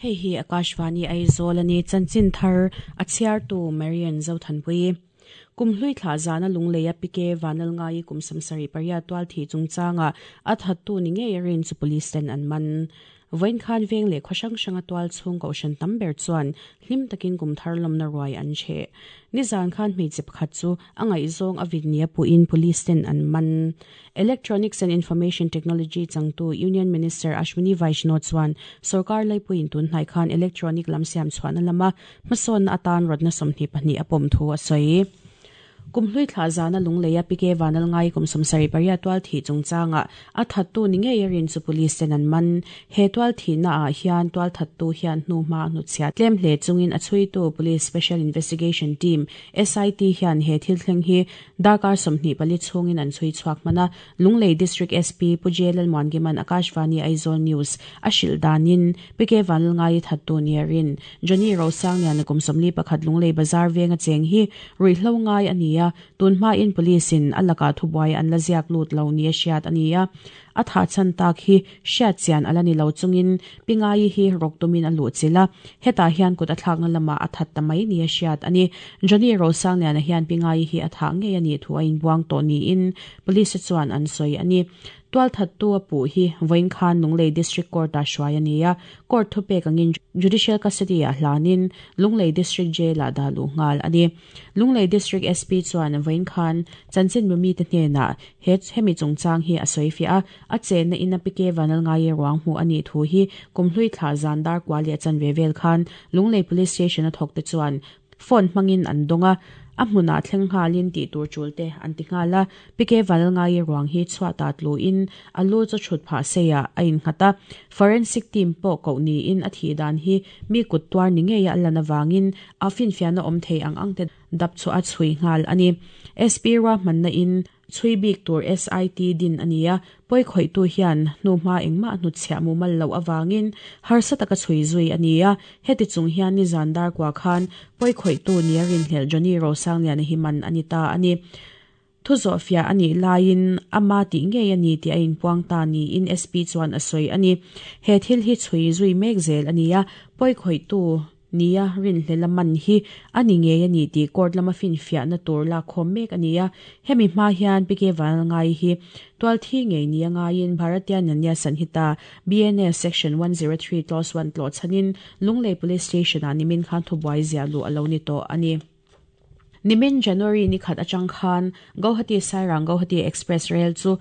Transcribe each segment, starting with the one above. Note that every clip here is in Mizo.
Hei hi Akashvani Aizawl a ni. Chanchin thar a chhiartu Marian Zothanpui. Kum hlui thlah zana Lungleia PK Vanlalngai kum samsarih pariat tual thih chungchanga a thattu ni ngei a rin chu police ten an man. Vawiin khan veng leh khaw hrang hranga tual chhung kohhran tam ber chuan hlim takin kum thar lawmna ruai an cheh. Nizan khan hmeichhe pakhat chu a ngaihzawng a vit nia puhin police ten an man. Electronics and Information Technology changtu Union Minister Ashwini Vaishnaw chuan sorkar laipuiin tun hnai khan electronic lam siam chhuahna lama hmasawnna atan rawtna 22 a pawm thu a sawi. Kum hlui thlah zana Lungleia PK Vanlalngai kum 78 tual thih chungchangah a thattu ni ngei a rin chu police ten an man. He tual thihna ah hian tual thattu hian hnuhma a hnutchhiah tlem hle chungin a chhuitu Police Special Investigation Team, SIT, hian he thil thleng hi Darkar 24 chhungin an chhui chhuak hman a, Lunglei District SP Pu J Lalmuangima'n Akashvani Aizawl News a hrilh danin PK Vanlalngai thattu nia rin Johnny Rosangliana kum 41 Lunglei Bazar venga cheng hi ruihhlo ngai a ni a, tun hmain Police in a lakah thubuai an la ziak lut lo nia hriat a ni a. A thah chhan tak hi hriat chian a la ni lo chungin Pingaii hi rawk tumin a luh chilh a, hetah hian kut a thlakna lamah a that ta mai nia hriat a ni. Johnny Rosangliana hian Pingaii hi a thah ngei a nih thu a inbuang tawh niin Police te chuan an sawi a ni. Tualthattu a puh hi vawiin khan Lunglei District Court-ah hruai a ni a, Court thupek angin Judicial Custody-ah hlanin Lunglei District Jail-ah dah luh nghal a ni. Lunglei District SP chuan vawiin khan chanchinbu mite hnenah He hemi chungchang hi a sawi fiah a, a chenna in a PK Vanlalngaia ruang hmuh a nih thu hi kum hlui thlah zan dar kua leh chanve vel khan Lunglei Police Station a thawk te chuan phone hmangin an dawng a, a hmunah thleng nghalin tih tur tul te an ti nghal a. PK Vanlalngaia ruang hi chhuatah tluin a lu chu chhut phah seiah a innghat a, forensic team pawh koh niin a thih dan hi mi kut tuar ni ngeia a lan avangin a finfiahna awm thei ang ang te dap chu a chhui nghal a ni. SP ruahmanna in chhui bik tur SIT din a ni a, pawi khawihtu hian hnuhma engmah hnutchhiah mumal loh avangin harsa taka chhui zui a ni a, heti chung hian nizan dar kua khan pawi khawihtu nia rinhlelh Johnny Rosangliana hi man a ni ta a ni. Thu zawhfiah a nih laiin ama tih ngei a ni tih a inpuang ta niin SP chuan a sawi a ni. He thil hi chhui zui mek zel a ni a, pawi khawihtu nia rinhlel a man hi a ni ngei a ni tih court lama finfiahna tur lakkhawm mek a ni a. Hemi hma hian PK Vanlalngai hi tualthi ngei nia ngaiin Bharatiya Nyaya Sanhita, BNS, Section 103 Clause 1 tlawh chhanin Lunglei Police Station-ah nimin khan thubuai ziah luh a lo ni tawh a ni. Nimin January ni khat atang khan Guwahati Sairang Guwahati Express Rail chu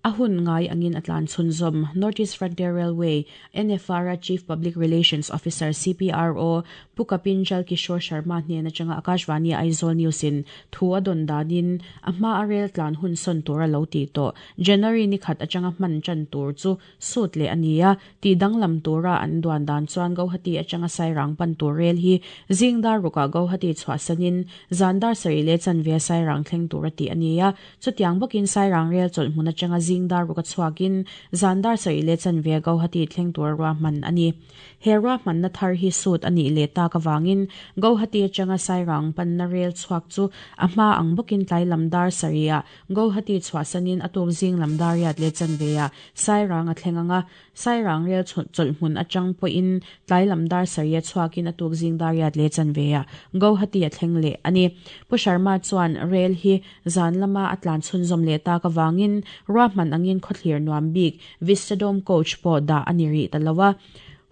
a hun ngai angin a tlan chhunzawm. North East Frontier Railway, NFR, a Chief Public Relations Officer, CPRO, Pu Kapinjal Kishore Sharma hnen atanga Akashvani Aizawl News in thu a dawn danin a hma a rail tlan hun sawn tur a lo tih tawh. January ni khat atanga hman tan tur chu Sut leh a ni a, tih danglam tura an duan dan chuan Guwahati atanga Sairang pan tur rel hi zing dar rukah Guwahati chhuahsanin zan dar sarih leh chanve Sairang thleng tura tih a ni a, chutiang bawkin Sairang rel chawlh hmun atanga zing dar ruka chhuakin zan dar sarih leh chanve Guwahati thleng tura ruahman a ni. He ruahmanna thar hi sut a nih leh tak avangin Guwahati atanga Sairang panna rel chhuak chu a hma ang bawkin tlai lam dar sarihah Guwahati chhuahsanin a tuk zing lam dar riat leh chanveah Sairang a thleng ang a, Sairang rel chawlh hmun atang pawhin tlai lam dar sarih a chhuakin a tuk zing dar riat leh chanveah Guwahati a thleng leh a ni. Pu Sharma chuan rel hi zan lama a tlan chhunzawm leh tak avangin ruahman angin khawthlir nuam bik Vistadome coach pawh dah a ni rih ta lo a,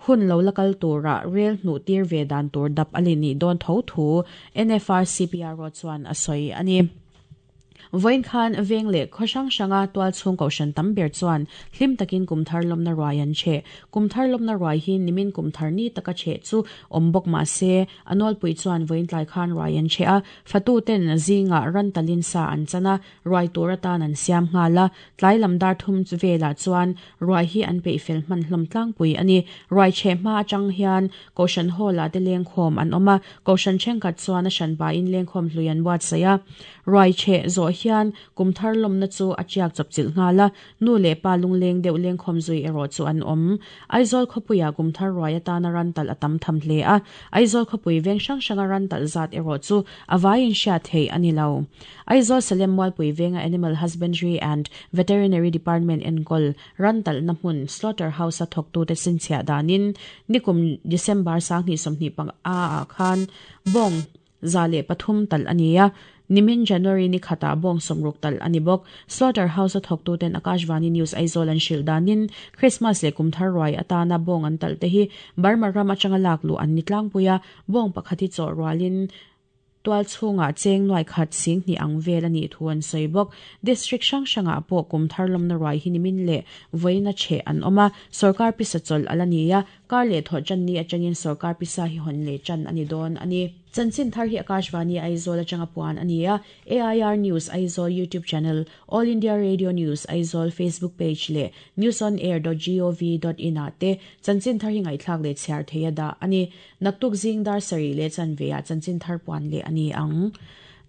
hun lo la kal tura rel hnuh tir ve dan tur dap a li nih dawn tho thu NFR CPRO chuan a sawi a ni. Vawiin khan veng leh khaw hrang hranga tual chhung kohhran tam ber chuan hlim takin kum thar lawmna ruai an cheh. Kum thar lawmna ruai hi nimin kum thar ni taka cheh chu awm bawk mah se, a nawlpui chuan vawiin tlai khan ruai an cheh a, fatu ten zingah ran talin sa an chan a, ruai tur atan an siam nghal a, tlai lam dar thum velah chuan ruai hi an peih fel hman hlawm tlangpui a ni. Ruai cheh hma atang hian Kohhran hall-ah te lengkhawm an awm a, Kohhran thenkhat chuan a hran pahin lengkhawm hlui an buatsaih a. Ruai cheh zawh hian kum thar lawmna chu a tiak chawpchilh nghal a, nu leh pa lungleng deuh lengkhawm zui erawh chu an awm. Aizawl khawpuia kum thar ruai atana ran talh a tam tham hle a, Aizawl khawpui veng hrang hranga ran talh zat erawh chu a vaiin hriat theih a ni lo. Aizawl Salem Mualpui venga Animal Husbandry and Veterinary Department enkawl ran talhna hmun Slaughter House-a thawktute chhinchhiah danin nikum December 2025 ah khan bawng 103 talh a ni a, nimin January ni khatah bawng 60 talh a ni bawk. Slaughter House-a thawktuten Akashvani News Aizawl an hrilh danin Christmas leh kum thar ruai atana bawng an talh te hi Burma ram atanga lak luh an ni tlangpui a, bawng pakhat hi chawh rualin tual chhungah cheng nuai khat sing hnih ang vel a nih thu an sawi bawk. District hrang hrangah pawh kum thar lawmna ruai hi nimin leh vawiina chheh an awm a, sorkar pisa chawlh a la ni a, kar leh thawh tan ni atangin sorkar pisa hi hawn leh tan a ni dawn a ni. Chanchin thar hi Akashvani Aizawl atanga puan a ni a, AIR News Aizawl YouTube channel, All India Radio News Aizawl Facebook page leh newsonair dot gov dot in ah te chanchin thar hi ngaihthlak leh chhiar theih a dah a ni. Naktuk zing dar sarih leh chanve ah chanchin thar puan leh a ni ang.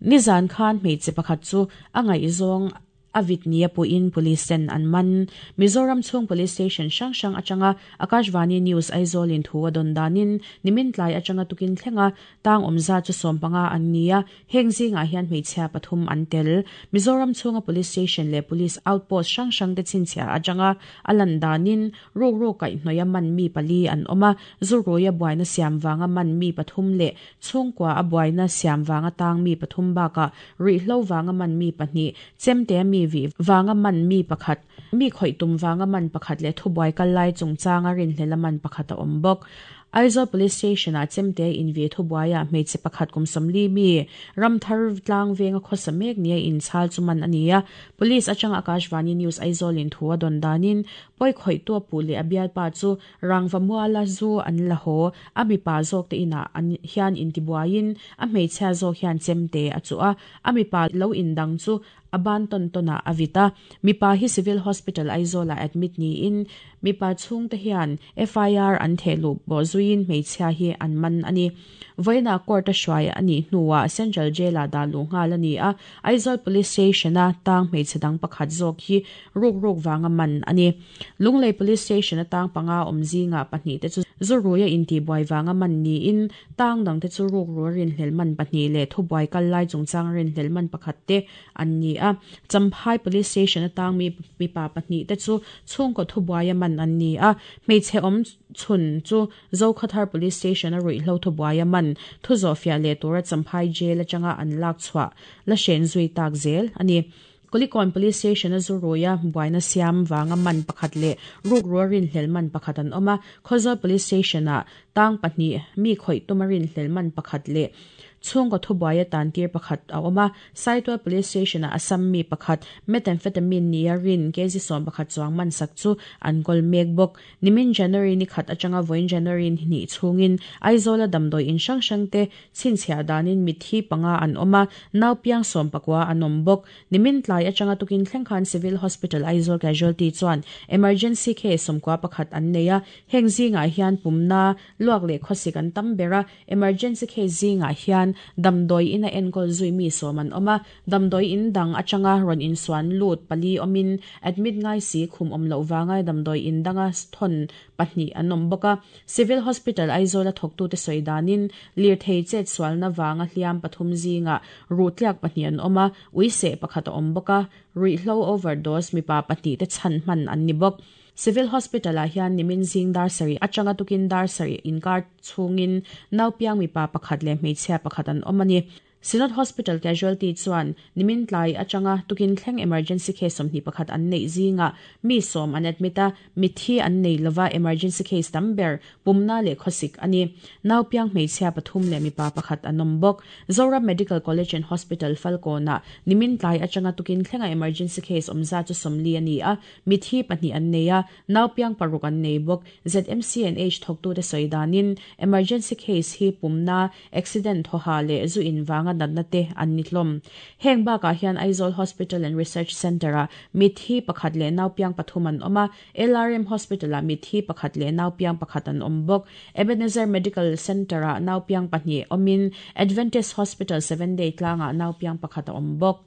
Nizan khan hmeichhe pakhat chu a ngaihzawng a vit nia puhin Police ten an man. Mizoram chhung Police Station hrang hrang atanga Akashvani News Aizawl in thu a dawn danin nimin tlai atanga tukin thlenga tang awmza chu 15 an ni a, Heng zingah hian hmeichhia pathum an tel. Mizoram chhunga Police Station leh Police Outpost hrang hrangte chhinchhiah atanga a lan danin rukru kaihhnawih a man mi pali an awm a, zu ruia buaina siam vanga man mi pathum leh chhungkua a buaina siam vanga tang mi pathum bakah ruihhlo vanga man mi pahnih, chemte mi vih vanga man mi pakhat, mi khawih tum vanga man pakhat leh thubuai kal lai chungchanga rinhlel a man pakhat a awm bawk. Aizawl Police Station-ah chemte invih thubuaiah hmeichhe pakhat kum 40 mi Ramthar tlang venga khawsa mek nia inchhal chu man a ni a. Police atanga Akashvani News Aizawl-in thu a dawn danin pawi khawihtu a puh leh a bialpa chu rangva muala zu an la haw. A mipa zawk te inah an hian intibuaiin a hmeichhia zawk hian chemte a chuh a, a mipa lo indang chu a ban tawn tawnah a vit a. Mipa hi Civil Hospital Aizawl-ah admit niin mipa chhungte hian FIR an theh luh pawh zuiin hmeichhia hi an man a ni. Vawiinah court a hruai a nih hnuah Central Jail-ah dah luh nghal a ni a, Aizawl Police Station-a tang hmeichhe dang pakhat zawk hi ruk ruk vanga man a ni. Lunglei Police Station-a tang panga awm zingah pahnih te chu zu ruia intihbuai vanga man niin tang dangte chu ruk rua rinhlelh man pahnih leh thubuai kal lai chungchang rinhlelh man pakhat te an ni a. Champhai Police Station atang mi mipa pahnih te chu chhungkaw thubuaia man an ni a. Hmeichhe awm chhun chu Zokhathar Police Station a ruihhlo thubuaia man thu zawhfiah leh tura Champhai Jail atanga an lak chhuah la hren zui tak zel a ni. Kulikawn Police Station a zu ruia buaina siam vanga man pakhat leh rukrua rinhlelh man pakhat an awm a. Khawzawl Police Station ah tang pahnih mi khawih tuma rinhlelh man pakhat leh chhungkaw thubuaia tantir pakhat a awm a. Saitual Police Station ah Assam mi pakhat methamphetamine nia rin kg 11 chuang man sak chu an kawl mek bawk. Nimin January ni khat atanga vawiin January ni hnih chhungin Aizawla damdawi in hrang hrang te chhinchhiah danin mitthi panga an awm a, nau piang 19 an awm bawk. Nimin tlai atanga tukin thleng khan Civil Hospital Aizawl Casualty chuan emergency case 91 an nei a, heng zingah hian pumna, luak leh khawsik an tam ber a, emergency case zingah hian damdawi ina enkawl zui mi 10 an awm a, damdawi in dang atanga rawn insuan lut pali awmin admit ngai si khum awm loh vanga damdawi in danga thawn pahnih an awm bawk a. Civil Hospital Aizawl a thawktute sawi danin lirthei chet sualna vanga hliam pathum zingah ruh tliak pahnih an awm a, ui seh pakhat a awm bawk a, ruihhlo overdose mipa pahnih te chhan hman an ni bawk. Civil Hospital ah hian nimin zing dar sarih atanga tukin dar sarih inkar chhungin nau piang mipa pakhat leh hmeichhia pakhat an awm a ni. Synod Hospital Casualty chuan nimin tlai atanga tukin thleng emergency case 21 an neih zingah mi 10 an admit a, mitthi an nei lova emergency case tam ber pumna leh khawsik a ni. Nau piang hmeichhia pathum leh mipa pakhat an awm bawk. Zoram Medical College and Hospital Falkawnah nimin tlai atanga tukin thlenga emergency case awmza chu 40 a ni a, mitthi pahnih an nei a, nau piang paruk an nei bawk. ZMCNH thawktute sawi danin emergency case hi pumna, accident thawha leh zu in vanga natna te an ni hlawm. Heng bakah hian Aizawl Hospital and Research Centre-ah mitthi pakhat leh nau piang pathum an awm a, LRM Hospital-ah mitthi pakhat leh nau piang pakhat an awm bawk. Ebenezer Medical Centre-ah nau piang pahnih awmin Adventist Hospital Seven Day tlangah nau piang pakhat a awm bawk.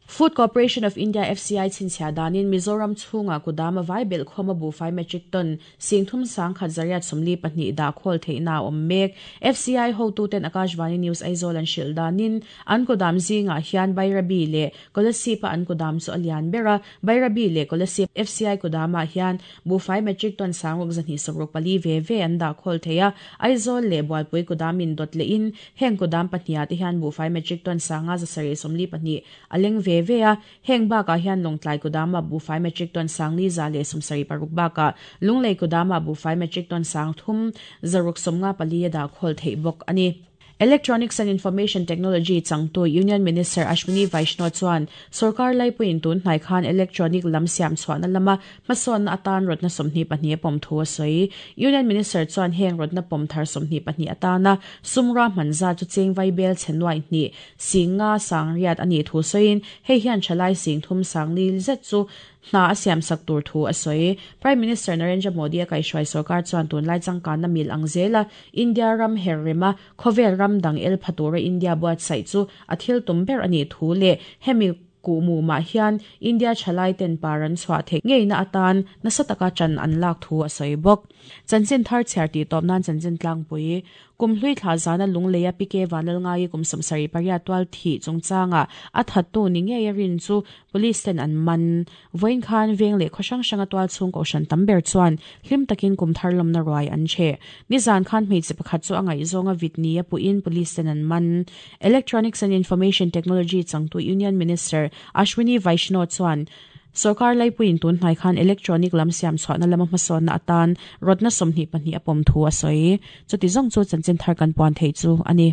Food Corporation of India, FCI, chhinchhiah danin Mizoram chhungah kudam a vai belh khawm a buhfai metric ton singthum sangkhat zariat 42 dah khawl theihna a awm mek. FCI hotuten Akashvani News Aizawl an hrilh danin an kudam zingah hian Bairabi leh Kolasib-a an kudam chu a lian ber a, Bairabi leh Kolasib FCI kudamah hian buhfai metric ton sangruk 264 ve ve an dah khawl thei a, Aizawl leh Bualpui kudamin dawt lehin heng kudam pahniha te hian buhfai metric ton sanga 742 a leng ve ve a, heng bakah hian Lawngtlai kudamah buhfai metric ton sangli 176 bakah Lunglei kudamah buhfai metric ton sang 3 654 a dah khawl theih bawk a ni. Electronics and Information Technology changtu Union Minister Ashwini Vaishnaw chuan sorkar laipuiin tun hnai khan electronic lam siam chhuahna lama hmasawnna atan rawtna 22 a pawm thu a sawi. Union Minister chuan heng rawtna pawm thar 22 atana sumra hman zat chu cheng vai bel chhe nuai hnih singa sangriat a nih thu sawiin hei hian thalai sing thum sangli zet chu hna a siam sak tur thu a sawi. Prime Minister Narendra Modi a kaihhruai sorkar chuan tunlai changkanna mil ang zela India ram her rema khawvel ram dang el pha tura India buatsaih chu a thil tum ber a nih thu leh hemi kuhmu mah hian India thalai ten par an chhuah theih ngeina atan nasa taka chan an lak thu a sawi bawk. Chanchin thar chhiar tih tawp nan chanchin tlangpui. Kum hlui thla zana Lungleia PK Vanlalngai kum 78 tual thih chungchanga a thattu ni ngei a rin chu police ten an man. Vawiin khan veng leh khaw hrang hranga tual chhung kohhran tam ber chuan hlim takin kum thar lawmna ruai an cheh. Nizan khan hmeichhe pakhat chu a ngaihzawnga vit ni a puhin police ten an man. Electronics and Information Technology changtu Union Minister Ashwini Vaishnaw chuan sorkar laipuiin tun hnai khan electronic lam siam chhuahna lama hmasawnna atan rawtna 22 a pawm thu a sawi. Chuti zawng chu chanchin thar kan puan theih chu a ni.